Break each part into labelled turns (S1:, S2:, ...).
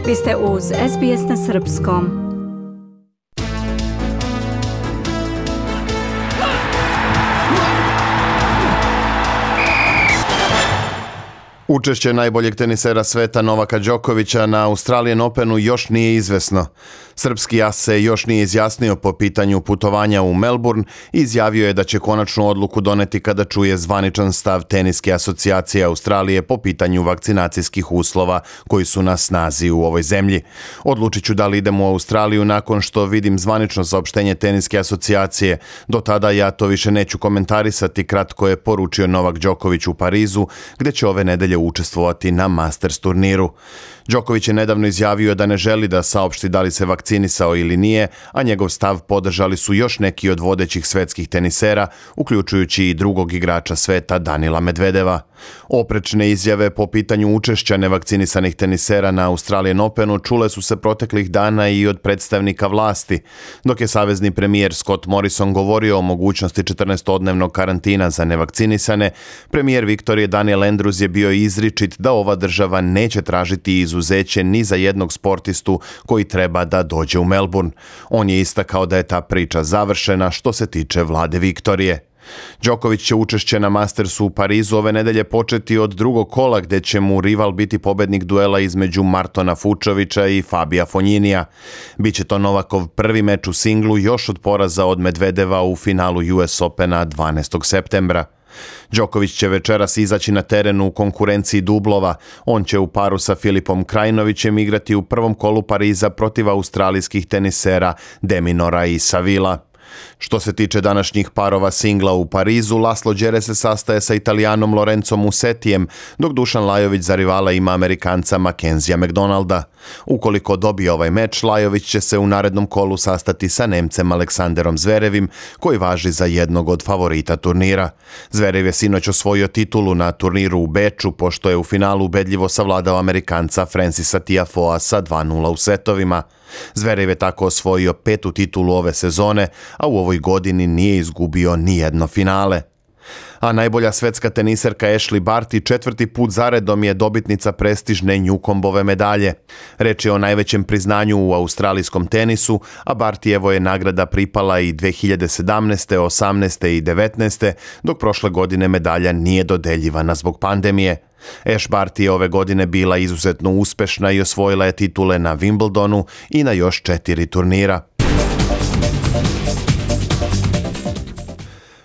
S1: Vi ste uz SBS na srpskom.
S2: Učešće najboljeg tenisera sveta Novaka Đokovića na Australian Openu još nije izvesno. Srpski as se još nije izjasnio po pitanju putovanja u Melbourne i izjavio je da će konačnu odluku doneti kada čuje zvaničan stav Teniske asocijacije Australije po pitanju vakcinacijskih uslova koji su na snazi u ovoj zemlji. Odlučit ću da li idem u Australiju nakon što vidim zvanično saopštenje Teniske asocijacije. Do tada ja to više neću komentarisati, kratko je poručio Novak Đoković u Parizu, gdje će ove nedelje učestvovati na Masters turniru. Đoković je nedavno izjavio da ne želi da saopšti da li se vakcinisao ili nije, a njegov stav podržali su još neki od vodećih svetskih tenisera, uključujući i drugog igrača sveta Danila Medvedeva. Oprečne izjave po pitanju učešća nevakcinisanih tenisera na Australian Openu čule su se proteklih dana i od predstavnika vlasti. Dok je savezni premijer Scott Morrison govorio o mogućnosti 14-dnevnog karantina za nevakcinisane, premijer Viktorije Daniel Andrews je bio izričit da ova država neće tražiti izuzeće ni za jednog sportistu koji treba da dođe u Melbourne. On je istakao da je ta priča završena što se tiče vlade Viktorije. Đoković će učešće na Mastersu u Parizu ove nedelje početi od drugog kola, gdje će mu rival biti pobednik duela između Martona Fučovića i Fabija Fonjinija. Biće to Novakov prvi meč u singlu još od poraza od Medvedeva u finalu US Opena 12. septembra. Đoković će večeras izaći na terenu u konkurenciji dublova. On će u paru sa Filipom Krajinovićem igrati u prvom kolu Pariza protiv australijskih tenisera Deminora i Savila. Što se tiče današnjih parova singla u Parizu, Laslo Đere se sastaje sa Italijanom Lorenzom Musetijem, dok Dušan Lajović za rivala ima Amerikanca Mackenzija McDonalda. Ukoliko dobije ovaj meč, Lajović će se u narednom kolu sastati sa Nemcem Aleksanderom Zverevim, koji važi za jednog od favorita turnira. Zverev je sinoć osvojio titulu na turniru u Beču, pošto je u finalu ubedljivo savladao Amerikanca Francisa Tiafoea sa 2:0 u setovima. Zverev je tako osvojio 5. titulu ove sezone, a u ovoj godini nije izgubio ni jedno finale. A najbolja svetska teniserka Ashleigh Barty 4. put zaredom je dobitnica prestižne Newcombove medalje. Reč je o najvećem priznanju u australijskom tenisu, a Bartyjevo je nagrada pripala i 2017., 18. i 19., dok prošle godine medalja nije dodeljivana zbog pandemije. Ash Barty je ove godine bila izuzetno uspešna i osvojila je titule na Wimbledonu i na još 4 turnira.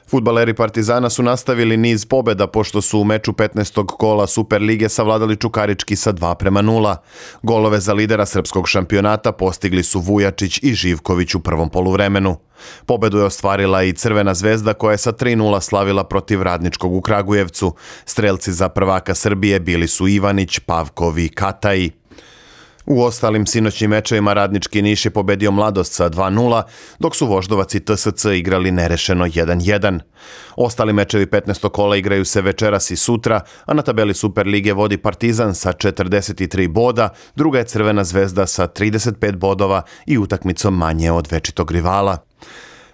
S2: Fudbaleri Partizana su nastavili niz pobjeda pošto su u meču 15. kola Superlige savladali Čukarički sa 2:0. Golove za lidera srpskog šampionata postigli su Vujačić i Živković u prvom poluvremenu. Pobedu je ostvarila i Crvena zvezda koja je sa 3:0 slavila protiv Radničkog u Kragujevcu. Strelci za prvaka Srbije bili su Ivanić, Pavkov i Kataji. U ostalim sinoćnim mečevima Radnički Niš je pobedio Mladost sa 2:0, dok su Voždovac i TSC igrali nerešeno 1:1. Ostali mečevi 15. kola igraju se večeras i sutra, a na tabeli Superlige vodi Partizan sa 43 boda, druga je Crvena zvezda sa 35 bodova i utakmicom manje od večitog rivala.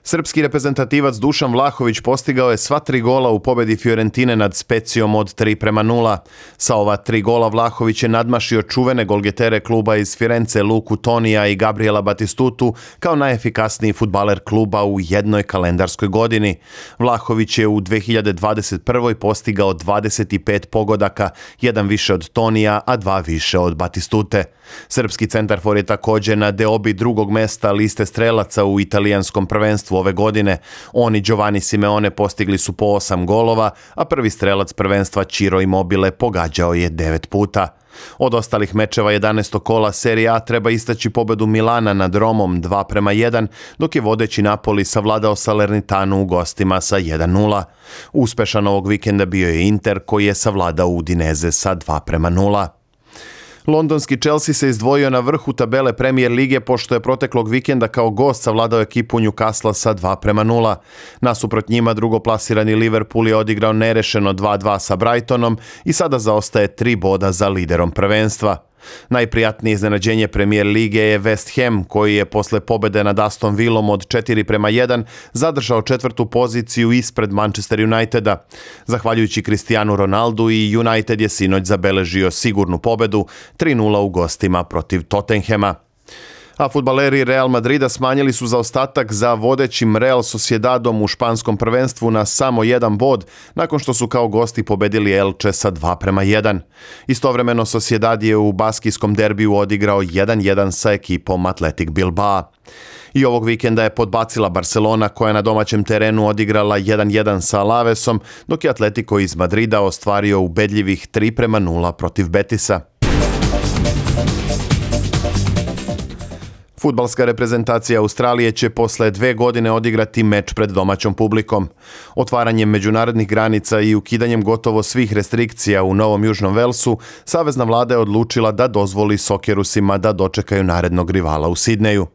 S2: Srpski reprezentativac Dušan Vlahović postigao je sva 3 gola u pobedi Fiorentine nad Specijom od 3:0. Sa ova 3 gola Vlahović je nadmašio čuvene golgetere kluba iz Firence Luku Tonija i Gabriela Batistutu kao najefikasniji fudbaler kluba u jednoj kalendarskoj godini. Vlahović je u 2021. postigao 25 pogodaka, jedan više od Tonija, a 2 više od Batistute. Srpski centarfor je također na deobi drugog mesta liste strelaca u italijanskom prvenstvu ove godine. On i Giovanni Simeone postigli su po 8 golova, a prvi strelac prvenstva Ciro Immobile pogađao je 9 puta. Od ostalih mečeva 11. kola Serie A treba istaći pobedu Milana nad Romom 2:1, dok je vodeći Napoli savladao Salernitanu u gostima sa 1:0. Uspešan ovog vikenda bio je Inter koji je savladao Udineze sa 2:0. Londonski Chelsea se izdvojio na vrhu tabele Premier lige pošto je proteklog vikenda kao gost savladao ekipu Newcastle sa 2:0. Nasuprot njima drugoplasirani Liverpool je odigrao nerešeno 2:2 sa Brightonom i sada zaostaje 3 boda za liderom prvenstva. Najprijatnije iznenađenje Premier lige je West Ham, koji je posle pobede nad Aston Villom od 4:1 zadržao 4. poziciju ispred Manchester Uniteda. Zahvaljujući Cristianu Ronaldu i United je sinoć zabeležio sigurnu pobedu 3:0 u gostima protiv Tottenhama. A fudbaleri Real Madrida smanjili su zaostatak za vodećim Real Sociedadom u španskom prvenstvu na samo 1 bod, nakon što su kao gosti pobedili Elche sa 2:1. Istovremeno Sociedad je u baskijskom derbiju odigrao 1:1 sa ekipom Athletic Bilbao. I ovog vikenda je podbacila Barcelona, koja je na domaćem terenu odigrala 1:1 sa Alavesom, dok je Atletico iz Madrida ostvario ubedljivih 3:0 protiv Betisa. Fudbalska reprezentacija Australije će posle 2 godine odigrati meč pred domaćom publikom. Otvaranjem međunarodnih granica i ukidanjem gotovo svih restrikcija u Novom Južnom Velsu, savezna vlada je odlučila da dozvoli Sokerusima da dočekaju narednog rivala u Sidneju.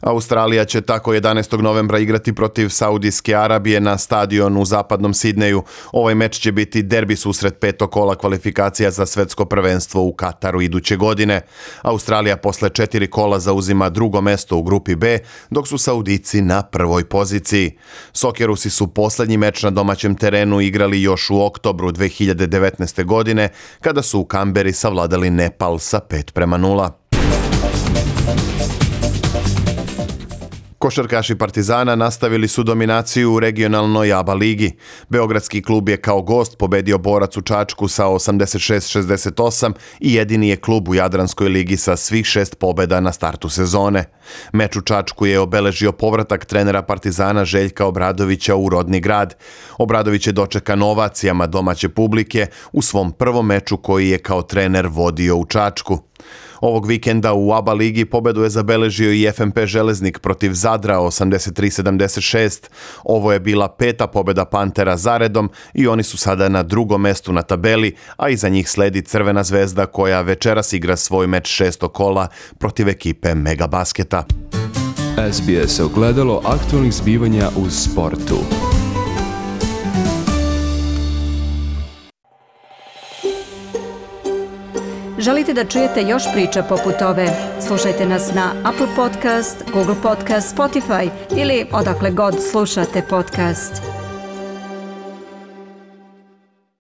S2: Australija će tako 11. novembra igrati protiv Saudijske Arabije na stadionu u zapadnom Sidneju. Ovaj meč će biti derbi susret 5. kola kvalifikacija za svetsko prvenstvo u Kataru iduće godine. Australija posle 4 kola zauzima drugo mesto u grupi B, dok su Saudici na prvoj poziciji. Sokerusi su poslednji meč na domaćem terenu igrali još u oktobru 2019. godine, kada su u Kamberi savladali Nepal sa 5:0. Košarkaši Partizana nastavili su dominaciju u regionalnoj ABA ligi. Beogradski klub je kao gost pobedio Borac u Čačku sa 86-68 i jedini je klub u Jadranskoj ligi sa svih 6 pobeda na startu sezone. Meč u Čačku je obeležio povratak trenera Partizana Željka Obradovića u rodni grad. Obradović je dočekan ovacijama domaće publike u svom prvom meču koji je kao trener vodio u Čačku. Ovog vikenda u ABA ligi pobedu je zabeležio i FNP Železnik protiv Zadra 83-76. Ovo je bila 5. pobeda Pantera zaredom i oni su sada na drugom mestu na tabeli, a iza njih sledi Crvena zvezda koja večeras igra svoj meč 6. kola protiv ekipe Megabasketa.
S3: SBS ogledalo aktualnih zbivanja u sportu.
S1: Želite da čujete još priča poput ove? Slušajte nas na Apple Podcast, Google Podcast, Spotify ili odakle god slušate podcast.